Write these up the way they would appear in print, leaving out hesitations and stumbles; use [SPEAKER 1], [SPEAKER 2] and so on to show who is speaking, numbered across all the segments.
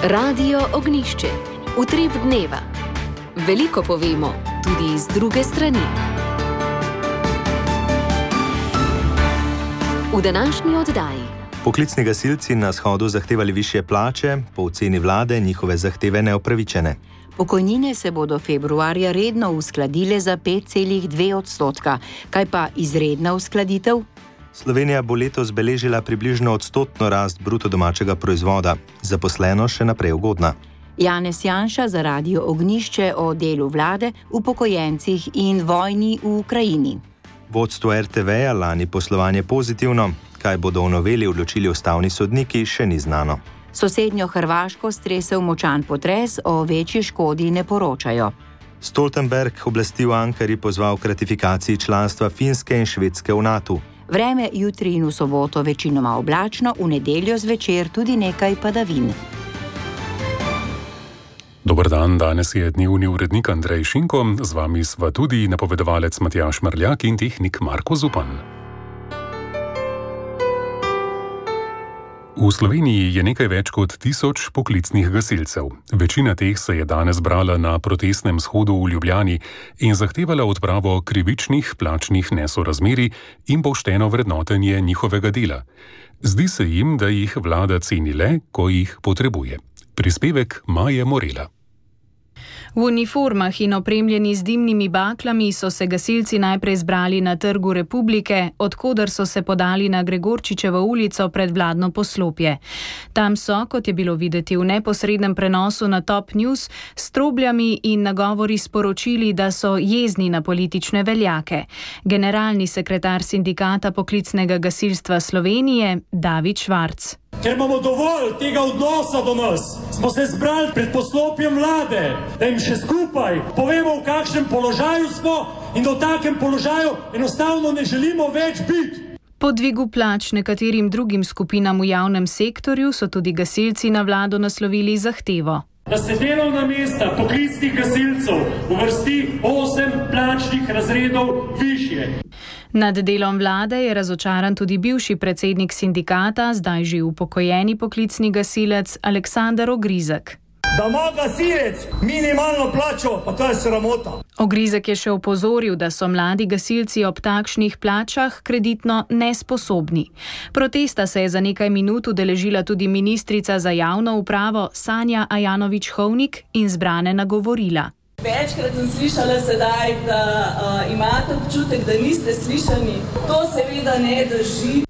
[SPEAKER 1] Radio Ognišče. Utrip dneva. Veliko povemo, tudi iz druge strani. V današnji oddaji.
[SPEAKER 2] Poklicni gasilci na shodu zahtevali višje plače, po oceni vlade njihove zahteve neupravičene.
[SPEAKER 3] Pokojnine se bodo februarja redno uskladile za 5,2%. Kaj pa izredna uskladitev?
[SPEAKER 2] Slovenija bo letos beležila približno 100% rast bruto domačega proizvoda, zaposleno še naprej ugodna.
[SPEAKER 3] Janez Janša za Radio Ognišče o delu vlade, upokojencih in vojni v Ukrajini.
[SPEAKER 2] Vodstvo RTV-ja lani poslovanje pozitivno, kaj bodo v noveli odločili ustavni sodniki, še ni znano.
[SPEAKER 3] Sosednjo Hrvaško stresel močan potres, o večji škodi ne poročajo.
[SPEAKER 2] Stoltenberg oblasti v Ankari pozval k ratifikaciji članstva Finske in Švedske v NATO.
[SPEAKER 3] Vreme jutri in v soboto večinoma oblačno, v nedeljo zvečer tudi nekaj padavin.
[SPEAKER 4] Dober dan, danes je dnevni urednik Andrej Šinko, z vami sva tudi napovedovalec Matjaž Marljak in tehnik Marko Zupan. V Sloveniji je nekaj več kot 1000 poklicnih gasilcev. Večina teh se je danes brala na protestnem shodu v Ljubljani in zahtevala odpravo krivičnih plačnih nesorazmerij in pošteno vrednotenje njihovega dela. Zdi se jim, da jih vlada ceni le, ko jih potrebuje. Prispevek Maje Morela.
[SPEAKER 5] V uniformah in opremljeni z dimnimi baklami so se gasilci najprej zbrali na Trgu Republike, odkoder so se podali na Gregorčičevo ulico pred vladno poslopje. Tam so, kot je bilo videti v neposrednem prenosu na Top News, s trobljami in nagovori sporočili, da so jezni na politične veljake. Generalni sekretar sindikata poklicnega gasilstva Slovenije, David Švarc.
[SPEAKER 6] Ker imamo dovolj tega odnosa do nas, smo se zbrali pred poslopjem vlade, da jim še skupaj povemo, v kakšnem položaju smo in da v takem položaju enostavno ne želimo več biti.
[SPEAKER 5] Po dvigu plač nekaterim drugim skupinam v javnem sektorju so tudi gasilci na vlado naslovili zahtevo.
[SPEAKER 6] Da se delovna mesta poklicnih gasilcev uvrsti 8 plačnih razredov višje.
[SPEAKER 5] Nad delom vlade je razočaran tudi bivši predsednik sindikata, zdaj že upokojeni poklicni gasilec Aleksander Ogrizek.
[SPEAKER 6] Da ima gasilec minimalno plačo, pa to je sramota.
[SPEAKER 5] Ogrizek je še opozoril, da so mladi gasilci ob takšnih plačah kreditno nesposobni. Protesta se je za nekaj minut udeležila tudi ministrica za javno upravo Sanja Ajanović-Hovnik in zbrane nagovorila.
[SPEAKER 7] Večkrat sem slišala sedaj, da imate občutek, da niste slišani. To seveda ne drži.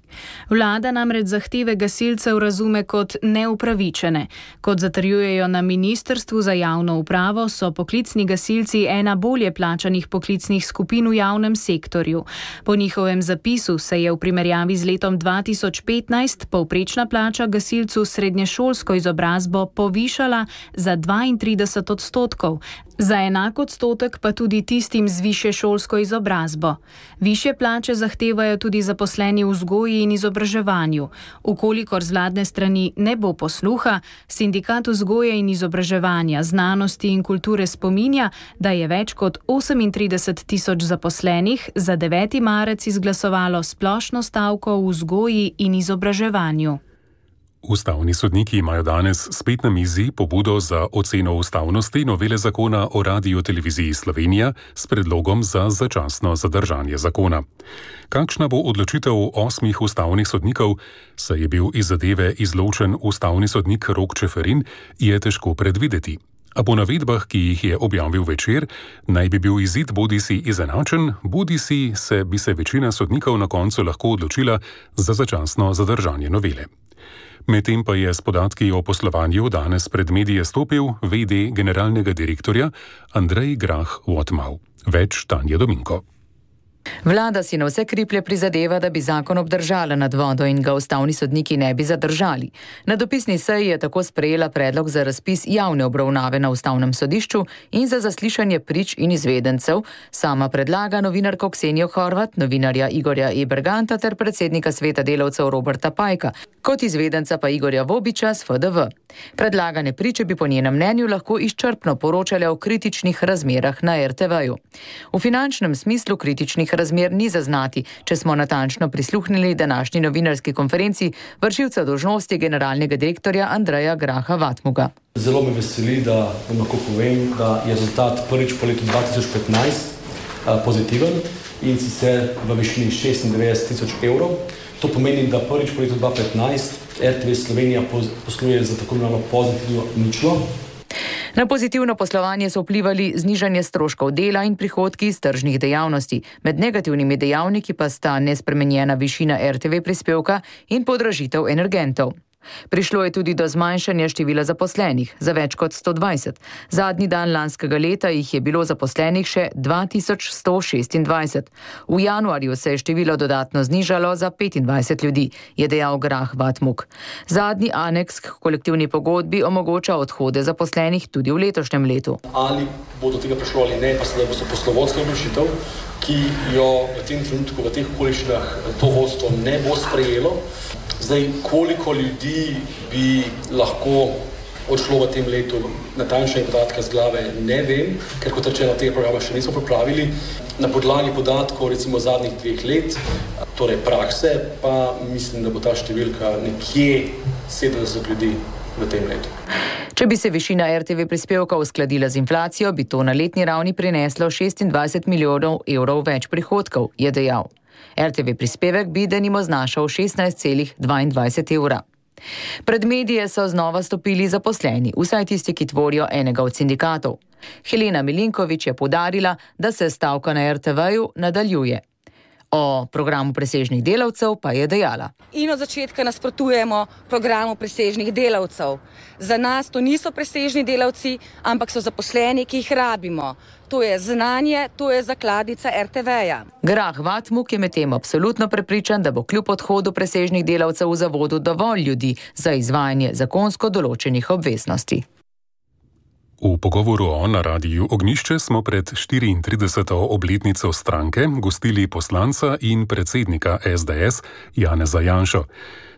[SPEAKER 5] Vlada namreč zahteve gasilcev razume kot neupravičene. Kot zatrjujejo na Ministrstvu za javno upravo, so poklicni gasilci ena bolje plačanih poklicnih skupin v javnem sektorju. Po njihovem zapisu se je v primerjavi z letom 2015 povprečna plača gasilcu s srednješolsko izobrazbo povišala za 32%. Za enak odstotek pa tudi tistim z višješolsko izobrazbo. Višje plače zahtevajo tudi zaposleni v vzgoji in izobraževanju. Ukolikor z vladne strani ne bo posluha, Sindikat vzgoje in izobraževanja, znanosti in kulture spominja, da je več kot 38.000 zaposlenih za 9. marec izglasovalo splošno stavko v vzgoji in izobraževanju.
[SPEAKER 4] Ustavni sodniki imajo danes spet na mizi pobudo za oceno ustavnosti novele zakona o Radioteleviziji Slovenija s predlogom za začasno zadržanje zakona. Kakšna bo odločitev 8 ustavnih sodnikov, saj je bil iz zadeve izločen ustavni sodnik Rok Čeferin, je težko predvideti. A po navedbah, ki jih je objavil Večer, naj bi bil izid bodisi izenačen, bodisi bi se večina sodnikov na koncu lahko odločila za začasno zadržanje novele. Medtem pa je s podatki o poslovanju danes pred medije stopil v.d. generalnega direktorja Andrej Grah-Wotmau. Več Tanja Dominko.
[SPEAKER 8] Vlada si na vse kriplje prizadeva, da bi zakon obdržala nad vodo in ga ustavni sodniki ne bi zadržali. Na dopisni seji je tako sprejela predlog za razpis javne obravnave na ustavnem sodišču in za zaslišanje prič in izvedencev. Sama predlaga novinarko Ksenijo Horvat, novinarja Igorja Eberganta ter predsednika sveta delavcev Roberta Pajka, kot izvedenca pa Igorja Vobiča z FDV. Predlagane priče bi po njenem mnenju lahko izčrpno poročale o kritičnih razmerah na RTV-ju. V finančnem smislu kritičnih trenutnih razmer ni zaznati, če smo natančno prisluhnili današnji novinarski konferenci vršilca dolžnosti generalnega direktorja Andreja Graha Vatmuga.
[SPEAKER 9] Zelo me veseli, da vam lahko povem, da je rezultat prvič po letu 2015 pozitiven in sicer v višini 96.000 evrov. To pomeni, da prvič po letu 2015 RTV Slovenija posluje za tako imenovano pozitivno ničlo.
[SPEAKER 8] Na pozitivno poslovanje so vplivali znižanje stroškov dela in prihodki iz tržnih dejavnosti. Med negativnimi dejavniki pa sta nespremenjena višina RTV prispevka in podražitev energentov. Prišlo je tudi do zmanjšanja števila zaposlenih za več kot 120. Zadnji dan lanskega leta jih je bilo zaposlenih še 2126. V januarju se je število dodatno znižalo za 25 ljudi, je dejal Grah Vatmug. Zadnji aneks k kolektivni pogodbi omogoča odhode zaposlenih tudi v letošnjem letu.
[SPEAKER 9] Ali bo do tega prišlo ali ne, pa se da bo poslovodska odločitev, ki jo v tem trenutku, v teh okoliščinah to vodstvo ne bo sprejelo. Zdaj, koliko ljudi bi lahko odšlo v tem letu, natančne podatke z glave ne vem, ker kot rečeno, tega programa še nismo pripravili. Na podlagi podatkov recimo zadnjih 2 let, torej prakse, pa mislim, da bo ta številka nekje 70 ljudi v tem letu.
[SPEAKER 8] Če bi se višina RTV prispevka uskladila z inflacijo, bi to na letni ravni prineslo 26 milijonov evrov več prihodkov, je dejal. RTV prispevek bi denimo znašal 16,22 evra. Pred medije so znova stopili zaposleni, vsaj tisti, ki tvorijo enega od sindikatov. Helena Milinković je poudarila, da se stavka na RTV-ju nadaljuje. O programu presežnih delavcev pa je dejala.
[SPEAKER 10] In od začetka nasprotujemo programu presežnih delavcev. Za nas to niso presežni delavci, ampak so zaposleni, ki jih rabimo. To je znanje, to je zakladnica RTV-ja.
[SPEAKER 8] Grah Vatmug je medtem absolutno prepričan, da bo kljub odhodu presežnih delavcev v zavodu dovolj ljudi za izvajanje zakonsko določenih obveznosti.
[SPEAKER 4] V pogovoru na Radiu Ognjišče smo pred 34. obletnico stranke gostili poslanca in predsednika SDS Janeza Janšo.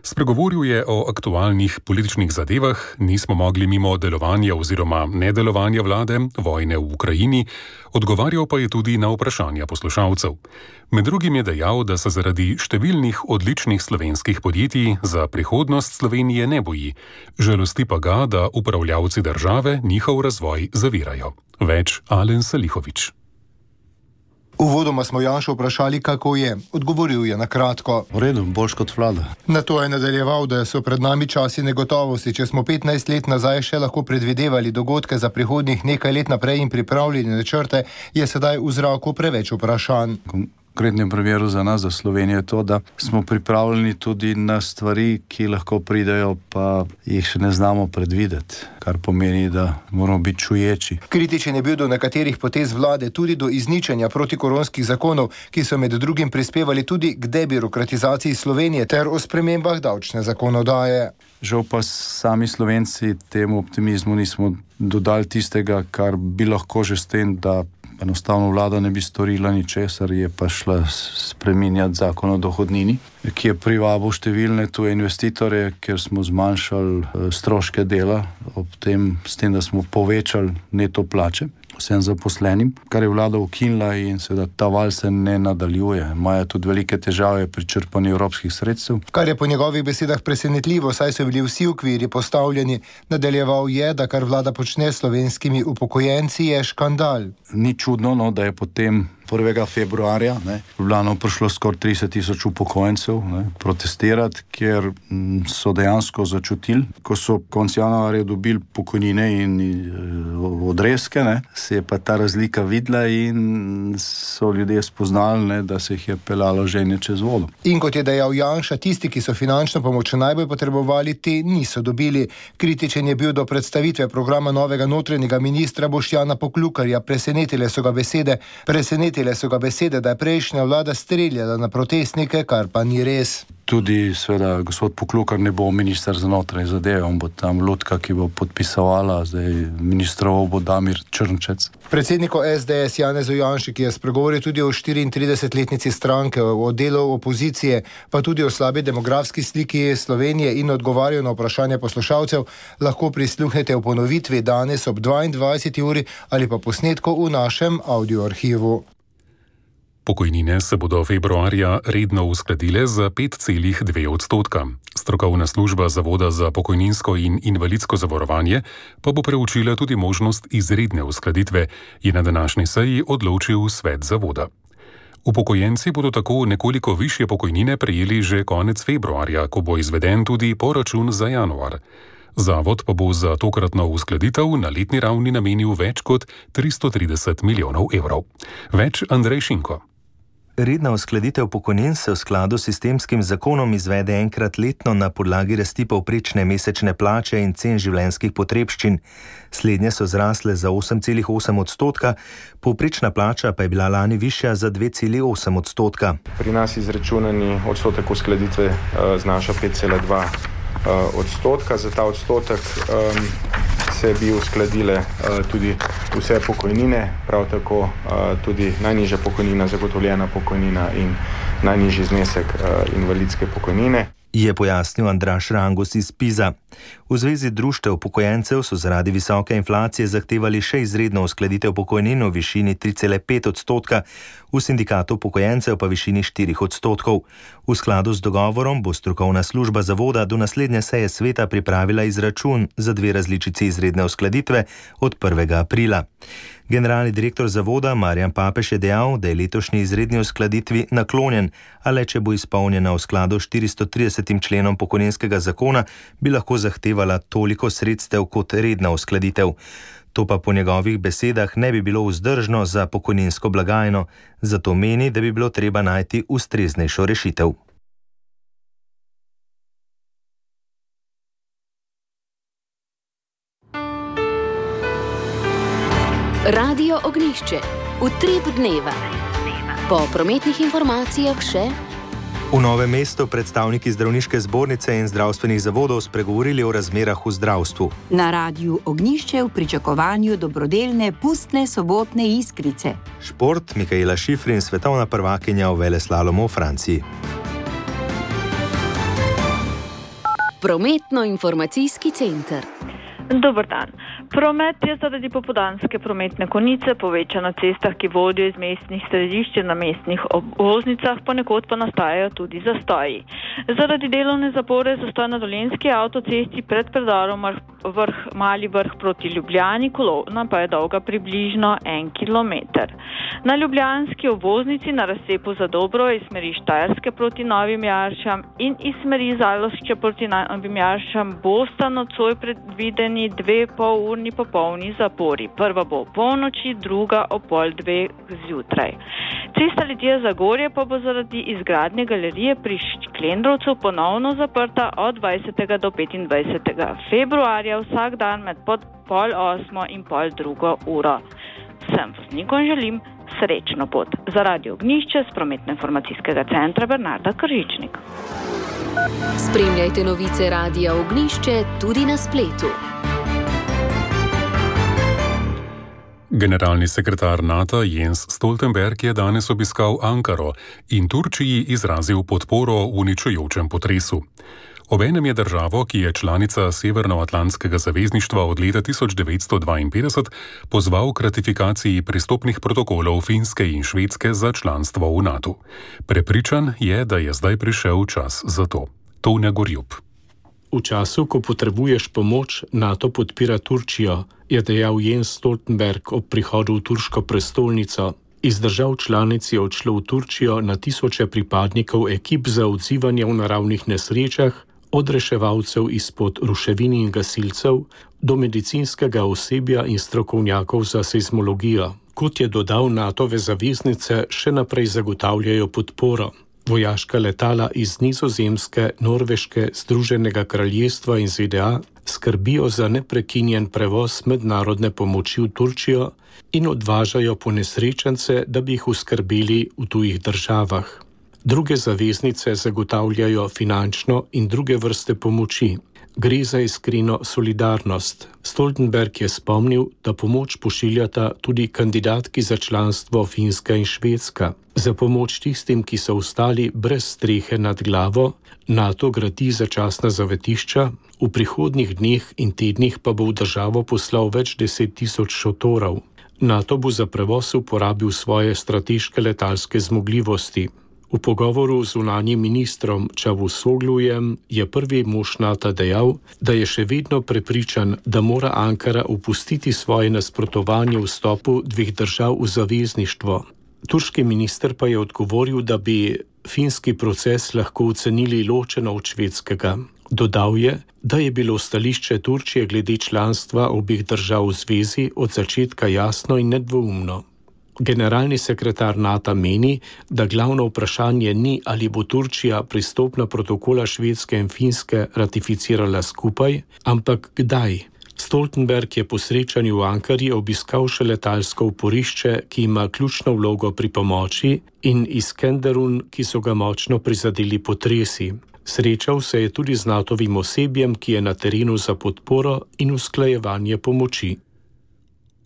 [SPEAKER 4] Spregovoril je o aktualnih političnih zadevah, nismo mogli mimo delovanja oziroma nedelovanja vlade, vojne v Ukrajini, odgovarjal pa je tudi na vprašanja poslušalcev. Med drugim je dejal, da se zaradi številnih odličnih slovenskih podjetij za prihodnost Slovenije ne boji. Žalosti pa ga, da upravljavci države njihov razvoj zavirajo. Več Alen Salihović.
[SPEAKER 11] Uvodoma smo Janšo vprašali, kako je. Odgovoril je na kratko.
[SPEAKER 12] V redu, boljš kot vlada.
[SPEAKER 11] Na to je nadaljeval, da so pred nami časi negotovosti. Če smo 15 let nazaj še lahko predvidevali dogodke za prihodnjih nekaj let naprej in pripravljeni načrte, je sedaj v zraku preveč vprašanj.
[SPEAKER 12] V konkretnem primeru za nas, za Slovenijo, je to, da smo pripravljeni tudi na stvari, ki lahko pridejo, pa jih še ne znamo predvideti, kar pomeni, da moramo biti čuječi.
[SPEAKER 11] Kritičen je bil do nekaterih potez vlade, tudi do izničenja protikoronskih zakonov, ki so med drugim prispevali tudi k debirokratizaciji Slovenije ter o spremembah davčne zakonodaje.
[SPEAKER 12] Žal pa sami Slovenci temu optimizmu nismo dodali tistega, kar bi lahko že s tem, da enostavno vlada ne bi storila ničesar, je pa šla spreminjati zakon o dohodnini, ki je privabil številne tuje investitorje, ker smo zmanjšali stroške dela, s tem, da smo povečali neto plače vsem zaposlenim, kar je vlada ukinila in seveda ta val se ne nadaljuje. Imajo tudi velike težave pri črpanju evropskih sredstev.
[SPEAKER 11] Kar je po njegovih besedah presenetljivo, saj so bili vsi okviri postavljeni. Nadaljeval je, da kar vlada počne s slovenskimi upokojenci, je škandal.
[SPEAKER 12] Ni čudno, da je potem 1. februarja v Ljubljano prišlo skoraj 30.000 upokojencev protestirati, ker so dejansko začutili, ko so konec januarja dobili pokojnine in odrezke, se je pa ta razlika videla in so ljudje spoznali, da se jih je pelalo ženje čez vodo.
[SPEAKER 11] In kot je dejal Janša, tisti, ki so finančno pomoč najbolj potrebovali, te niso dobili. Kritičen je bil do predstavitve programa novega notranjega ministra Boštjana Poklukarja. Presenetile so ga besede, da je prejšnja vlada streljala na protestnike, kar pa ni res.
[SPEAKER 12] Tudi seveda gospod Poklukar ne bo minister za notranje zadeve, on bo tam lutka, ki bo podpisovala, zdaj ministroval bo Damir Črnčec.
[SPEAKER 11] Predsedniku SDS Janezu Janši, ki je spregovoril tudi o 34-letnici stranke, o delu opozicije, pa tudi o slabi demografski sliki Slovenije in odgovarjal na vprašanje poslušalcev, lahko prisluhnete v ponovitvi danes ob 22. uri ali pa posnetku v našem audioarhivu.
[SPEAKER 4] Pokojnine se bodo februarja redno uskladile za 5,2%. Strokovna služba Zavoda za pokojninsko in invalidsko zavarovanje pa bo preučila tudi možnost izredne uskladitve, je na današnji seji odločil svet zavoda. Upokojenci bodo tako nekoliko višje pokojnine prejeli že konec februarja, ko bo izveden tudi poračun za januar. Zavod pa bo za tokratno uskladitev na letni ravni namenil več kot 330 milijonov evrov. Več Andrej Šinko.
[SPEAKER 2] Redna uskladitev pokojnin se v skladu s sistemskim zakonom izvede enkrat letno na podlagi rasti povprečne mesečne plače in cen življenjskih potrebščin. Slednje so zrasle za 8,8%, povprečna plača pa je bila lani višja za 2,8%.
[SPEAKER 13] Pri nas izračunani odstotek uskladitve znaša 5,2%. Za ta odstotek se bi uskladile tudi vse pokojnine, prav tako tudi najnižja pokojnina, zagotovljena pokojnina in najnižji znesek invalidske pokojnine.
[SPEAKER 2] Je pojasnil Andraž Rangus iz PIZA. V Zvezi društev upokojencev so zaradi visoke inflacije zahtevali še izredno uskladitev pokojnin v višini 3,5%, v sindikatu upokojencev pa višini 4%. V skladu z dogovorom bo strokovna služba zavoda do naslednje seje sveta pripravila izračun za 2 različici izredne uskladitve od 1. aprila. Generalni direktor zavoda Marjan Papež je dejal, da je letošnji izredni uskladitvi naklonjen, a le če bo izpolnjena v skladu s 430. členom pokojninskega zakona, bi lahko zahtevala toliko sredstev kot redna uskladitev. To pa po njegovih besedah ne bi bilo vzdržno za pokojninsko blagajno, zato meni, da bi bilo treba najti ustreznejšo rešitev.
[SPEAKER 1] Radio Ognjišče. Utrip dneva. Po prometnih informacijah še.
[SPEAKER 2] V Novem mestu predstavniki zdravniške zbornice in zdravstvenih zavodov spregovorili o razmerah v zdravstvu.
[SPEAKER 3] Na Radiu Ognjišče v pričakovanju dobrodelne pustne sobotne iskrice.
[SPEAKER 2] Šport, Mikaela Šifrin, svetovna prvakinja v veleslalomu v Franciji.
[SPEAKER 1] Prometno-informacijski center.
[SPEAKER 14] Dober dan. Promet je zaradi popoldanske prometne konice povečan na cestah, ki vodijo iz mestnih središč na mestnih obvoznicah, ponekod pa nastajajo tudi zastoji. Zaradi delovne zapore zastoj na Dolenjski avtocesti pred predorom Mali Vrh proti Ljubljani, kolona pa je dolga približno 1 kilometer. Na ljubljanski obvoznici na razcepu Zadobro iz smeri Štajerske proti Novim Jaršam in iz smeri Zalošče proti Novim Jaršam bosta nocoj predvideni 2,5-urni popolni zapori. Prva bo ob polnoči, druga ob 1:30 zjutraj. Cesta Litija-Zagorje pa bo zaradi izgradnje galerije pri Šklendrovcu ponovno zaprta od 20. do 25. februarja vsak dan med 7:30 in 7:30. Vsem voznikom želim srečno pot. Za Radio Ognjišče z prometno-informacijskega centra Bernarda Kržičnik.
[SPEAKER 1] Spremljajte novice Radia Ognjišče tudi na spletu.
[SPEAKER 4] Generalni sekretar NATO Jens Stoltenberg je danes obiskal Ankaro in Turčiji izrazil podporo uničujočem potresu. Obenem je državo, ki je članica Severnoatlantskega zavezništva od leta 1952, pozval k ratifikaciji pristopnih protokolov Finske in Švedske za članstvo v NATO. Prepričan je, da je zdaj prišel čas za to. Tone Gorjup.
[SPEAKER 15] V času, ko potrebuješ pomoč, NATO podpira Turčijo, je dejal Jens Stoltenberg ob prihodu v turško prestolnico. Iz držav članic je odšlo v Turčijo na tisoče pripadnikov ekip za odzivanje v naravnih nesrečah, od reševalcev izpod ruševin in gasilcev do medicinskega osebja in strokovnjakov za seizmologijo. Kot je dodal, NATO-ve zaveznice še naprej zagotavljajo podporo. Vojaška letala iz Nizozemske, Norveške, Združenega kraljestva in ZDA skrbijo za neprekinjen prevoz mednarodne pomoči v Turčijo in odvažajo ponesrečence, da bi jih oskrbeli v tujih državah. Druge zaveznice zagotavljajo finančno in druge vrste pomoči. Gre za iskreno solidarnost. Stoltenberg je spomnil, da pomoč pošiljata tudi kandidatki za članstvo Finska in Švedska. Za pomoč tistim, ki so ostali brez strehe nad glavo, NATO gradi začasna zavetišča, v prihodnjih dneh in tednih pa bo v državo poslal več 10 000 šotorov. NATO bo za prevoz uporabil svoje strateške letalske zmogljivosti. V pogovoru z zunanjim ministrom Čavusoglujem je prvi mož NATO dejal, da je še vedno prepričan, da mora Ankara opustiti svoje nasprotovanje vstopu dveh držav v zavezništvo. Turški minister pa je odgovoril, da bi finski proces lahko ocenili ločeno od švedskega. Dodal je, da je bilo stališče Turčije glede članstva obeh držav v zvezi od začetka jasno in nedvoumno. Generalni sekretar NATO meni, da glavno vprašanje ni, ali bo Turčija pristopna protokola Švedske in Finske ratificirala skupaj, ampak kdaj. Stoltenberg je po srečanju v Ankari obiskal še letalsko oporišče, ki ima ključno vlogo pri pomoči, in Iskenderun, ki so ga močno prizadeli potresi. Srečal se je tudi z NATO-vim osebjem, ki je na terenu za podporo in usklajevanje pomoči.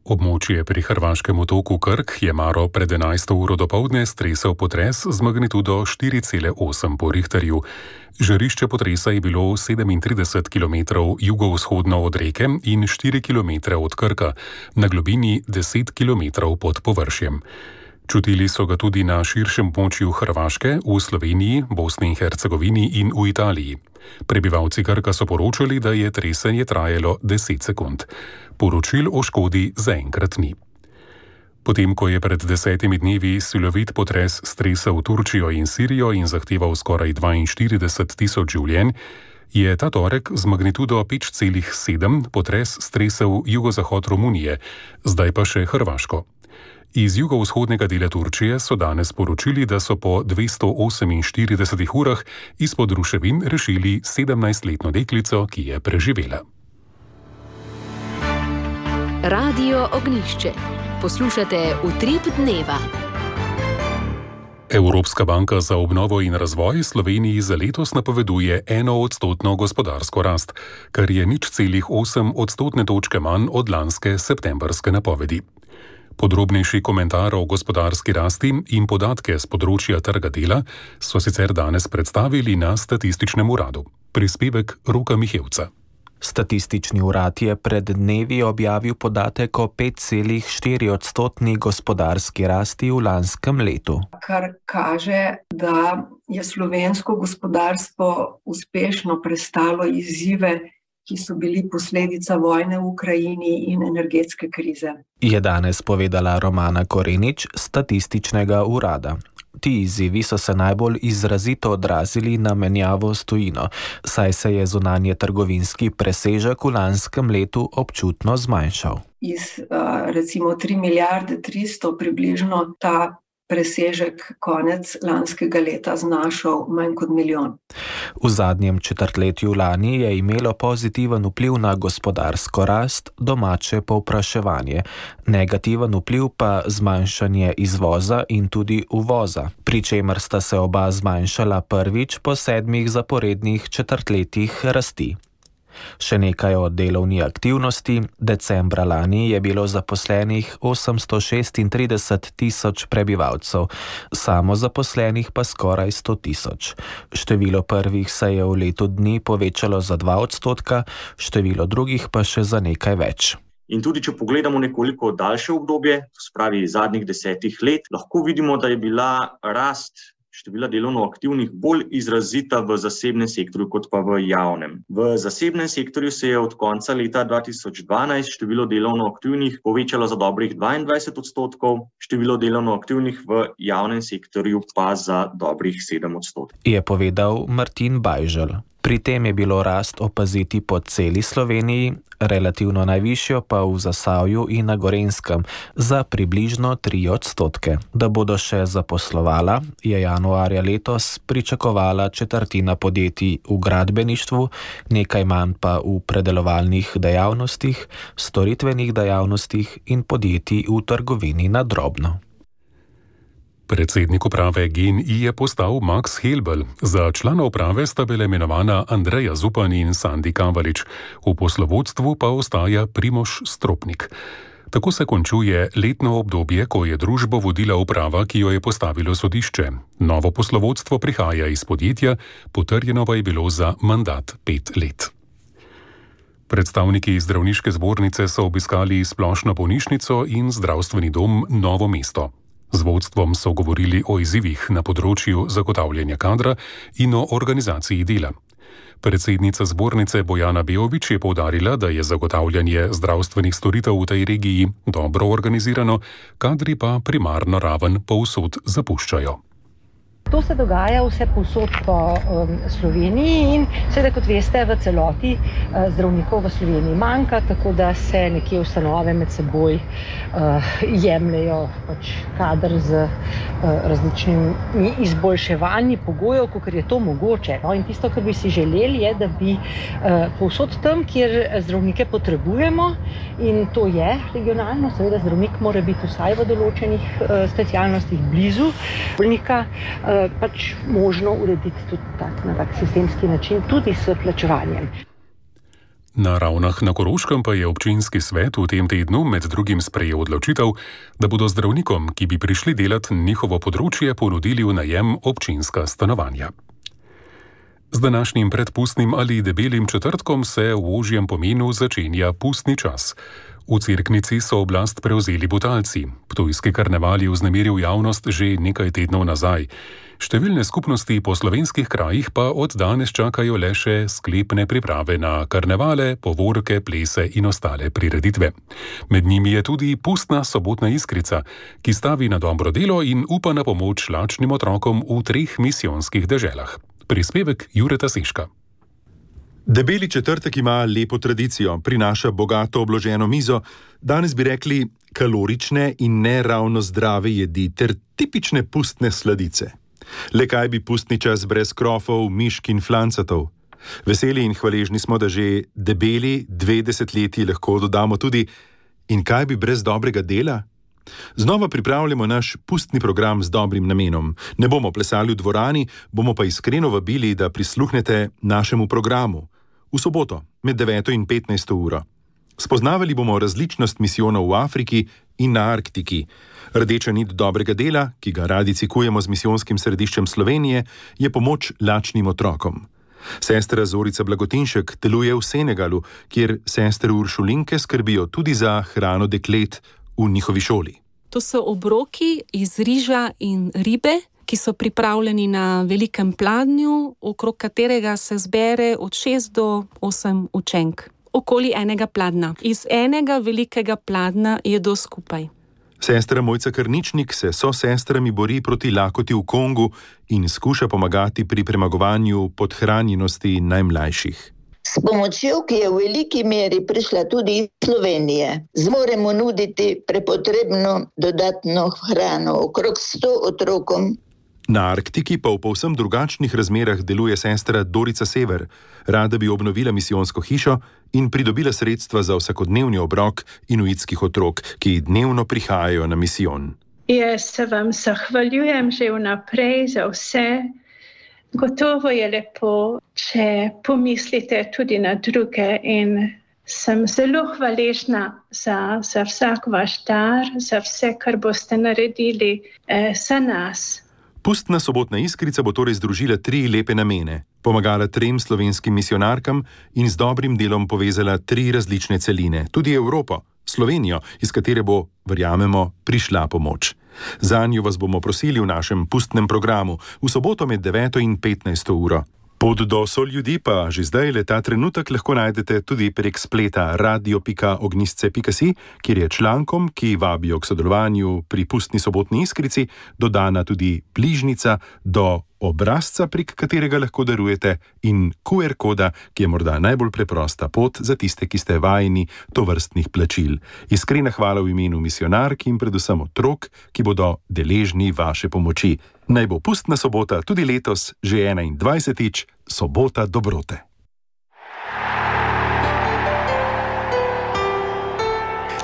[SPEAKER 4] Območje pri hrvaškem otoku Krk je maro pred 11. uro dopoldne stresel potres z magnitudo 4,8 po Richterju. Žarišče potresa je bilo 37 km jugovzhodno od reke in 4 km od Krka, na globini 10 km pod površjem. Čutili so ga tudi na širšem območju Hrvaške, v Sloveniji, Bosni in Hercegovini in v Italiji. Prebivalci Krka so poročali, da je tresenje trajalo 10 sekund. Poročil o škodi zaenkrat ni. Potem, ko je pred 10 dnevi silovit potres stresel Turčijo in Sirijo in zahteval skoraj 42 tisoč življenj, je ta torek z magnitudo 5,7 potres stresel jugozahod Romunije, zdaj pa še Hrvaško. Iz jugovzhodnega dela Turčije so danes poročili, da so po 248 urah izpod ruševin rešili 17-letno deklico, ki je preživela.
[SPEAKER 1] Radio Ognjišče. Poslušate Utrip dneva.
[SPEAKER 4] Evropska banka za obnovo in razvoj Sloveniji za letos napoveduje 1% gospodarsko rast, kar je 0,8 odstotne točke manj od lanske septembrske napovedi. Podrobnejši komentar o gospodarski rasti in podatke z področja trga dela so sicer danes predstavili na Statističnem uradu. Prispevek Roka Mihevca.
[SPEAKER 16] Statistični urad je pred dnevi objavil podatek o 5,4 odstotni gospodarski rasti v lanskem letu.
[SPEAKER 17] Kar kaže, da je slovensko gospodarstvo uspešno prestalo izzive, ki so bili posledica vojne v Ukrajini in energetske krize.
[SPEAKER 16] Je danes povedala Romana Korenič z Statističnega urada. Ti izzivi so se najbolj izrazito odrazili na menjavo s tujino, saj se je zunanje trgovinski presežek v lanskem letu občutno zmanjšal.
[SPEAKER 17] Iz recimo 3 milijarde 300 približno ta presežek konec lanskega leta znašal manj kot milijon.
[SPEAKER 16] V zadnjem četrtletju lani je imelo pozitiven vpliv na gospodarsko rast domače povpraševanje, negativen vpliv pa zmanjšanje izvoza in tudi uvoza, pri čemer sta se oba zmanjšala prvič po 7 zaporednih četrtletjih rasti. Še nekaj o delovni aktivnosti. Decembra lani je bilo zaposlenih 836 tisoč prebivalcev, samozaposlenih pa skoraj 100 tisoč. Število prvih se je v letu dni povečalo za 2%, število drugih pa še za nekaj več.
[SPEAKER 18] In tudi, če pogledamo nekoliko daljše obdobje, spravi zadnjih 10 let, lahko vidimo, da je bila rast števila delovno aktivnih bolj izrazita v zasebnem sektorju kot pa v javnem. V zasebnem sektorju se je od konca leta 2012 število delovno aktivnih povečalo za dobrih 22%, število delovno aktivnih v javnem sektorju pa za dobrih 7%.
[SPEAKER 16] Je povedal Martin Bajžel. Pri tem je bilo rast opaziti po celi Sloveniji, relativno najvišjo pa v Zasavju in na Gorenjskem za približno 3%. Da bodo še zaposlovala, je januarja letos pričakovala četrtina podjetij v gradbeništvu, nekaj manj pa v predelovalnih dejavnostih, storitvenih dejavnostih in podjetij v trgovini na drobno.
[SPEAKER 4] Predsednik uprave GEN-I je postal Max Helbel. Za člana uprave sta bila imenovana Andreja Zupan in Sandi Kavalič. V poslovodstvu pa ostaja Primož Stropnik. Tako se končuje letno obdobje, ko je družbo vodila uprava, ki jo je postavilo sodišče. Novo poslovodstvo prihaja iz podjetja, potrjeno pa je bilo za mandat 5 let. Predstavniki zdravniške zbornice so obiskali splošno bolnišnico in zdravstveni dom Novo mesto. Z vodstvom so govorili o izzivih na področju zagotavljanja kadra in o organizaciji dela. Predsednica zbornice Bojana Beović je poudarila, da je zagotavljanje zdravstvenih storitev v tej regiji dobro organizirano, kadri pa primarno raven povsod zapuščajo.
[SPEAKER 19] To se dogaja vse povsod po Sloveniji in seveda, kot veste, v celoti zdravnikov v Sloveniji manjka, tako da se nekje ustanove med seboj jemljejo kader z različnimi izboljševanji pogojev, kakor je to mogoče. No, in tisto, kar bi si želeli, je, da bi povsod tam, kjer zdravnike potrebujemo, in to je regionalno, seveda zdravnik mora biti vsaj v določenih specialnostih blizu bolnika, pač možno urediti tudi na tak sistemski način, tudi s plačevanjem.
[SPEAKER 4] Na Ravnah na Koroškem pa je občinski svet v tem tednu med drugim sprejel odločitev, da bodo zdravnikom, ki bi prišli delati njihovo področje, ponudili v najem občinska stanovanja. Z današnjim predpustnim ali debelim četrtkom se v ožjem pomenu začenja pustni čas. V Cerknici so oblast prevzeli Butalci. Ptujski karneval je vznemiril javnost že nekaj tednov nazaj. Številne skupnosti po slovenskih krajih pa od danes čakajo le še sklepne priprave na karnevale, povorke, plese in ostale prireditve. Med njimi je tudi pustna sobotna iskrica, ki stavi na dobro delo in upa na pomoč lačnim otrokom v 3 misijonskih deželah. Prispevek Jureta Seška.
[SPEAKER 20] Debeli četrtek ima lepo tradicijo, prinaša bogato obloženo mizo, danes bi rekli kalorične in ne ravno zdrave jedi ter tipične pustne sladice. Le kaj bi pustni čas brez krofov, mišk in flancatov? Veseli in hvaležni smo, da že debeli 2 desetletji lahko dodamo tudi in kaj bi brez dobrega dela? Znova pripravljamo naš pustni program z dobrim namenom. Ne bomo plesali v dvorani, bomo pa iskreno vabili, da prisluhnete našemu programu. V soboto, med 9. in 15. uro. Spoznavali bomo različnost misijonov v Afriki in na Arktiki. Rdeča nit dobrega dela, ki ga radi cikujemo z misijonskim središčem Slovenije, je pomoč lačnim otrokom. Sestra Zorica Blagotinšek deluje v Senegalu, kjer sestre Uršulinke skrbijo tudi za hrano deklet v njihovi šoli.
[SPEAKER 21] To so obroki iz riža in ribe, ki so pripravljeni na velikem pladnju, okrog katerega se zbere od 6 do 8 učenk. Okoli enega pladna. Iz enega velikega pladna jedo skupaj.
[SPEAKER 20] Sestra Mojca Krničnik se so sestrami bori proti lakoti v Kongu in skuša pomagati pri premagovanju podhranjenosti najmlajših.
[SPEAKER 22] S pomočjo, ki je v veliki meri prišla tudi iz Slovenije, zmoremo nuditi prepotrebno dodatno hrano okrog 100 otrokom.
[SPEAKER 20] Na Arktiki pa v povsem drugačnih razmerah deluje sestra Dorica Sever. Rada bi obnovila misijonsko hišo in pridobila sredstva za vsakodnevni obrok inuitskih otrok, ki dnevno prihajajo na misijon.
[SPEAKER 23] Jaz se vam zahvaljujem že vnaprej za vse. Gotovo je lepo, če pomislite tudi na druge in sem zelo hvaležna za vsak vaš dar, za vse, kar boste naredili za nas.
[SPEAKER 20] Pustna sobotna iskrica bo torej združila 3 lepe namene, pomagala 3 slovenskim misijonarkam in z dobrim delom povezala 3 različne celine, tudi Evropo, Slovenijo, iz katere bo, verjamemo, prišla pomoč. Zanjo vas bomo prosili v našem pustnem programu v soboto med 9. in 15. uro. Pot do Soljudi pa že zdaj ta trenutek lahko najdete tudi prek spleta radio.ognjisce.si, kjer je člankom, ki vabijo k sodelovanju pri pustni sobotni iskrici, dodana tudi bližnica do obrazca, prek katerega lahko darujete, in QR koda, ki je morda najbolj preprosta pot za tiste, ki ste vajeni tovrstnih plačil. Iskrena hvala v imenu misijonark in predvsem otrok, ki bodo deležni vaše pomoči. Naj bo pustna sobota tudi letos že 21. sobota dobrote.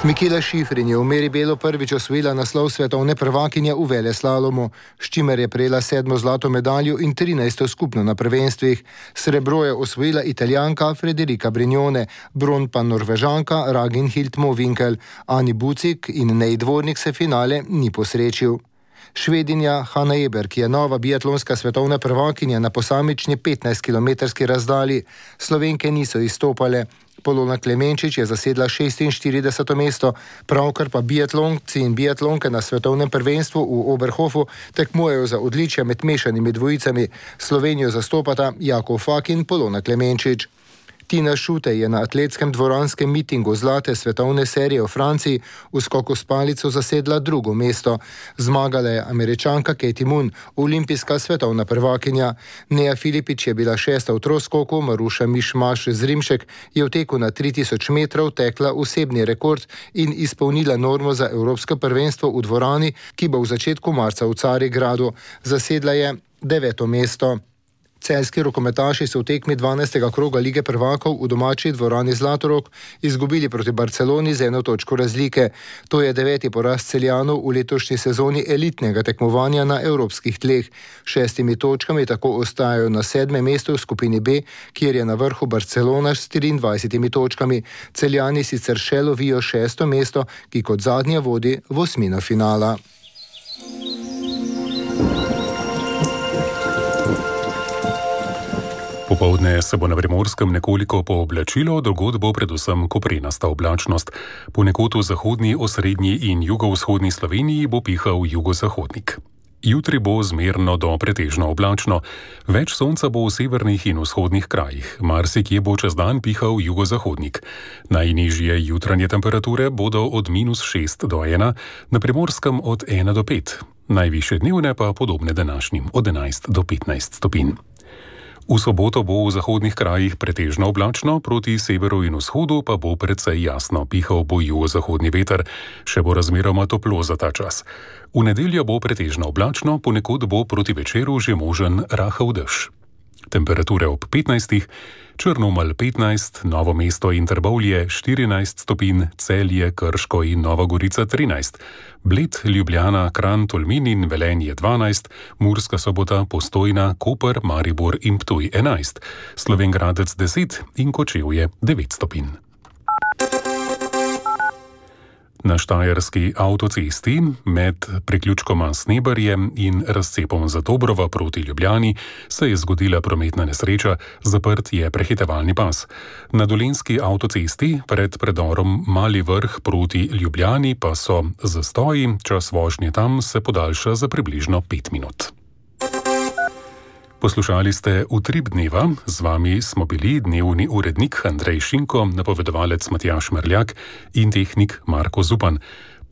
[SPEAKER 11] Mikela Šifrin je v meri belo prvič osvojila naslov svetovne prvakinje v veleslalomu, s čimer je prejela 7. zlato medaljo in 13. skupno na prvenstvih. Srebro je osvojila Italijanka Federica Brignone, bron pa Norvežanka Ragnhild Mowinckel. Ani Bucik in Nej Dvornik se finale ni posrečil. Švedinja Hanna Eber, ki je nova biatlonska svetovna prvakinja na posamični 15-kilometrski razdalji. Slovenke niso izstopale. Polona Klemenčič je zasedla 46. mesto, pravkar pa biatlonci in biatlonke na svetovnem prvenstvu v Oberhofu tekmujejo za odličja med mešanimi dvojicami. Slovenijo zastopata Jakov Fak in Polona Klemenčič. Tina Šutej je na atletskem dvoranskem mitingu zlate svetovne serije v Franciji v skoku s palico zasedla drugo mesto. Zmagala je Američanka Katie Moon, olimpijska svetovna prvakinja. Neja Filipič je bila 6. v troskoku, Maruša Mišmaš Zrimšek je v teku na 3000 metrov tekla osebni rekord in izpolnila normo za evropsko prvenstvo v dvorani, ki bo v začetku marca v Carigradu. Zasedla je 9. mesto. Celjski rokometaši so v tekmi 12. kroga Lige prvakov v domači dvorani Zlatorog izgubili proti Barceloni z 1 točko razlike. To je 9. poraz Celjanov v letošnji sezoni elitnega tekmovanja na evropskih tleh. 6 točkami tako ostajajo na 7. mestu v skupini B, kjer je na vrhu Barcelona s 24 točkami. Celjani sicer še lovijo 6. mesto, ki kot zadnja vodi v osmino finala.
[SPEAKER 4] Popoldne se bo na Primorskem nekoliko pooblačilo, drugod bo predvsem koprenasta oblačnost. Ponekod v zahodni, osrednji in jugovzhodni Sloveniji bo pihal jugozahodnik. Jutri bo zmerno do pretežno oblačno, več sonca bo v severnih in vzhodnih krajih, marsikje bo čez dan pihal jugozahodnik. Najnižje jutranje temperature bodo od -6 do 1, na Primorskem od 1 do 5, najvišje dnevne pa podobne današnjim od 11 do 15 stopinj. V soboto bo v zahodnih krajih pretežno oblačno, proti severu in vzhodu pa bo precej jasno, pihal bo jugozahodni veter, še bo razmeroma toplo za ta čas. V nedeljo bo pretežno oblačno, ponekod bo proti večeru že možen rahel dež. Temperature ob 15, Črnomelj 15, Novo mesto in Trbovlje 14 stopinj, Celje, Krško in Nova Gorica 13, Bled, Ljubljana, Kranj, Tolmin in Velenje 12, Murska Sobota, Postojna, Koper, Maribor in Ptuj 11, Slovenj Gradec 10 in Kočevje 9 stopinj. Na štajerski avtocesti med priključkoma Snebarjem in razcepom Zatobrova proti Ljubljani se je zgodila prometna nesreča, zaprt je prehitevalni pas. Na dolenjski avtocesti pred predorom Mali Vrh proti Ljubljani pa so zastoji, čas vožnje tam se podaljša za približno 5 minut. Poslušali ste Utrip dneva, z vami smo bili dnevni urednik Andrej Šinko, napovedovalec Matjaž Merljak in tehnik Marko Zupan.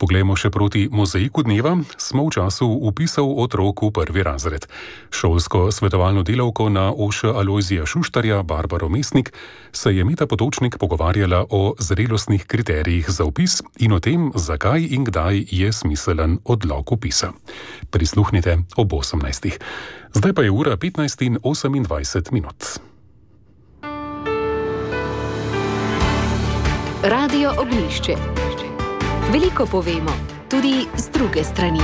[SPEAKER 4] Poglejmo še proti mozaiku dneva, smo v času upisal otrok v 1. razred. Šolsko svetovalno delavko na OŠ Alojzija Šuštarja, Barbaro Mesnik, se je Meta Potočnik pogovarjala o zrelostnih kriterijih za vpis in o tem, zakaj in kdaj je smiselen odlog vpisa. Prisluhnite ob 18. Zdaj pa je ura 15:28 minut.
[SPEAKER 1] Radio Oglišče. Veliko povemo, tudi z druge strani.